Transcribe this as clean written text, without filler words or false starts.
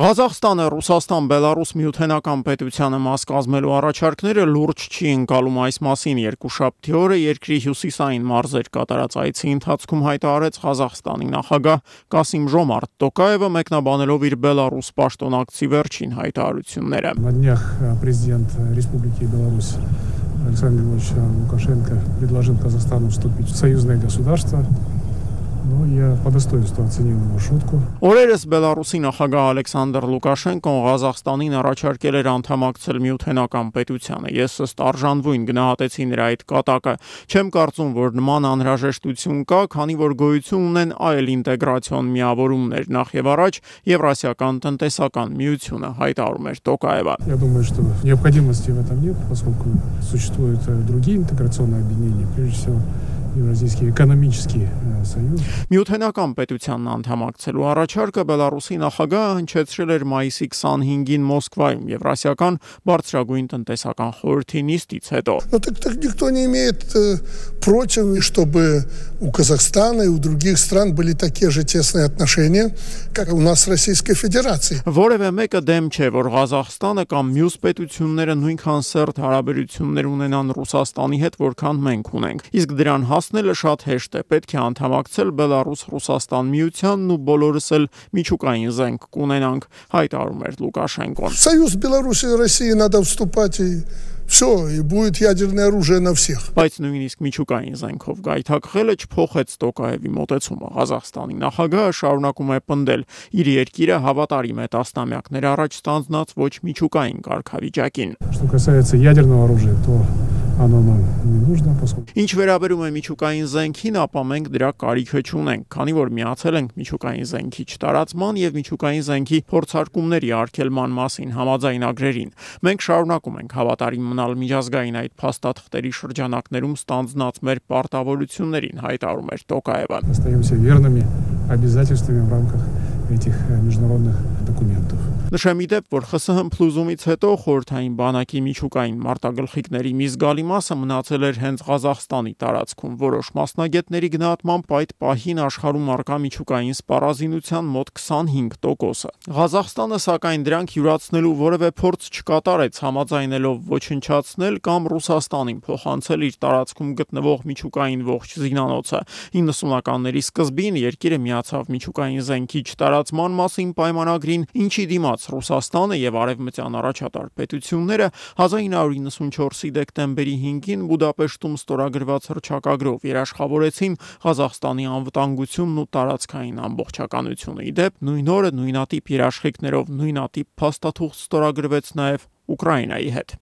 Ղազախստանը Ռուսաստան Բելարուս միութենական պետությանը մաս կազմելու առաջարկները լուրջ չի ընկալում այս մասին երկուշաբթի օրը երկրի հյուսիսային մարզեր կատարած այցի ընթացքում հայտարարեց Ղազախստանի նախագահ Կասիմ-Ժոմարտ Տոկաևը մեկնաբանելով իր Բելարուս պաշտոնակցի վերջին հայտարարությունները։ На днях президент Республики Беларусь Александр Григорьевич Лукашенко предложил Казахстану вступить в союзное государство. Ну, я по достоинству оценил его шутку. Օրերս Բելարուսի նախագահ Ալեքսանդր Լուկաշենկոն Ղազախստանին առաջարկել էր անդամակցել միութենական պետությանը։ Ես ըստ արժանվույն գնահատեցի նրա այդ կատակը։ Չեմ կարծում, որ նման անհրաժեշտություն կա, քանի որ գոյություն ունեն այլ ինտեգրացիոն միավորումներ, նախ եւ առաջ Եվրասիական տնտեսական միությունը, հայտարարում էր Տոկաևը։ Я думаю, что необходимости в этом нет, поскольку существуют другие интеграционные объединения, прежде всего Евразийский экономический союз. Միութենական պետությանն անդամակցելու առաջարկը Բելարուսի նախագահը հնչեցրել էր մայիսի 25-ին Մոսկվայում Եվրասիական բարձրագույն տնտեսական խորհրդի նիստից հետո։ Ну так никто не имеет против, чтобы у Казахстана и у других стран были такие же тесные отношения, как у нас с Российской Федерацией. Որևէ մեկը դեմ չէ, որ Ղազախստանը կամ մյուս պետությունները նույնքան սերտ հարաբերություններ ունենան Ռուսաստանի հետ, որքան մենք ունենք։ Իսկ դրան հասնելը շատ հեշտ է։ Պետք է անդամակցել Բելարուս-Ռուսաստան միությանն ու բոլորս էլ միջուկային զենք կունենանք, հայտարարում էր Լուկաշենկոն։ В союз Беларуси и России надо вступать и все, и будет ядерное оружие на всех. Բայց նույնիսկ միջուկային զենքով գայթակղելը չփոխեց Տոկաևի մոտեցումը։ Ղազախստանի նախագահը շարունակում է պնդել իր երկիրը հավատարիմ է տասնամյակներ առաջ ստանձնած ոչ միջուկային կարգավիճակին։ Что касается ядерного оружия, то оно нам не нужно, поскольку Ինչ վերաբերում է միջուկային զենքին, ապա մենք դրա կարիքը չունենք, քանի որ միացել ենք միջուկային զենքի չտարածման եւ միջուկային զենքի փորձարկումների արգելման մասին համաձայնագրերին։ Մենք շարունակում ենք հավատարիմ մնալ միջազգային այդ փաստաթղթերի շրջանակներում ստանձնած մեր պարտավորություններին, հայտարարում էր Տոկաևը։ остаемся верными обязательствам в рамках этих международных документов. Նշեմ ի դեպ, որ ԽՍՀՄ փլուզումից հետո խորհրդային բանակի միջուկային մարտագլխիկների մի զգալի մասը մնացել էր հենց Ղազախստանի տարածքում։ Որոշ մասնագետների գնահատմամբ այդ պահին աշխարհում առկա միջուկային սպառազինության մոտ 25%-ը։ Ղազախստանը սակայն դրանք յուրացնելու որևէ փորձ չկատարեց, համաձայնելով ոչնչացնել կամ Ռուսաստանին փոխանցել իր տարածքում գտնվող միջուկային ողջ զինանոցը։ 90-ականների սկզբին երկիրը միացավ միջուկային զենքի չտարածման մասին պայմանագրին, ինչի դիմաց Ռուսաստանը եւ արևմտյան առաջատար պետությունները 1994-ի դեկտեմբերի 5-ին Բուդապեշտում ստորագրված հռչակագրով երաշխավորեցին Ղազախստանի անվտանգությունն ու տարածքային ամբողջականությունը։ Ի դեպ, նույն օրը նույնատիպ երաշխիքներով նույնատիպ փաստաթուղթ ստորագրվեց նաեւ Ուկրաինայի հետ։